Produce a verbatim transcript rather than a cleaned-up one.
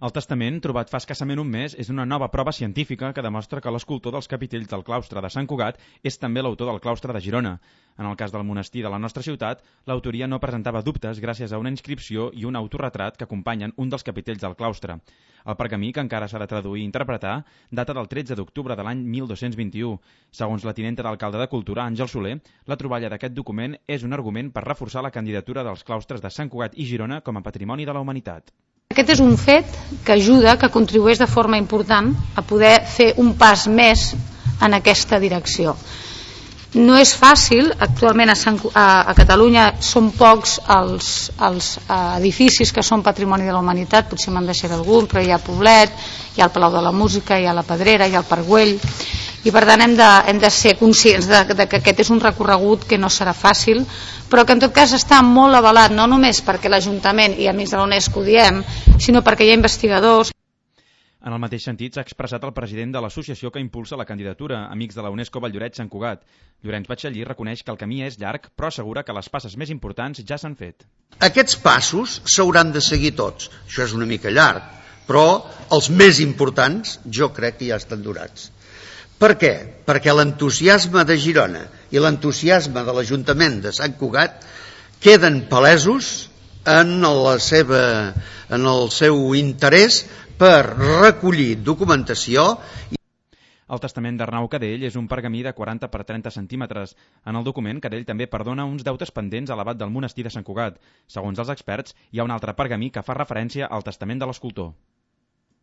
El testament, trobat fa escassament un mes, és una nova prova científica que demostra que l'escultor dels capitells del claustre de Sant Cugat és també l'autor del claustre de Girona. En el cas del monestir de la nostra ciutat, l'autoria no presentava dubtes gràcies a una inscripció i un autorretrat que acompanyen un dels capitells del claustre. El pergamí, que encara s'ha de traduir i interpretar, data del tretze d'octubre de l'any mil dos-cents vint-i-u. Segons la tinenta d'alcalde de Cultura, Àngel Soler, la troballa d'aquest document és un argument per reforçar la candidatura dels claustres de Sant Cugat i Girona com a patrimoni de la humanitat. Aquest és un fet que ajuda, que contribueix de forma important a poder fer un pas més en aquesta direcció. No és fàcil, actualment a, Sant, a, a Catalunya són pocs els, els edificis que són patrimoni de la humanitat, potser me'n deixaré algun, però hi ha Poblet, hi ha el Palau de la Música, hi ha la Pedrera, hi ha el Parc Güell, i per tant hem de, hem de ser conscients de, de que aquest és un recorregut que no serà fàcil, però que en tot cas està molt avalat, no només perquè l'Ajuntament i Amics de la UNESCO ho diem, sinó perquè hi ha investigadors. En el mateix sentit s'ha expressat el president de l'associació que impulsa la candidatura, Amics de la UNESCO Valldoreix-Sant Cugat. Llorenç Batxallí reconeix que el camí és llarg, però assegura que les passes més importants ja s'han fet. Aquests passos s'hauran de seguir tots. Això és una mica llarg, però els més importants jo crec que ja estan donats. Per què? Perquè l'entusiasme de Girona i l'entusiasme de l'Ajuntament de Sant Cugat queden palesos en, la seva, en el seu interès per recollir documentació. El testament d'Arnau Cadell és un pergamí de quaranta per trenta centímetres. En el document, Cadell també perdona uns deutes pendents a l'abat del monestir de Sant Cugat. Segons els experts, hi ha un altre pergamí que fa referència al testament de l'escultor.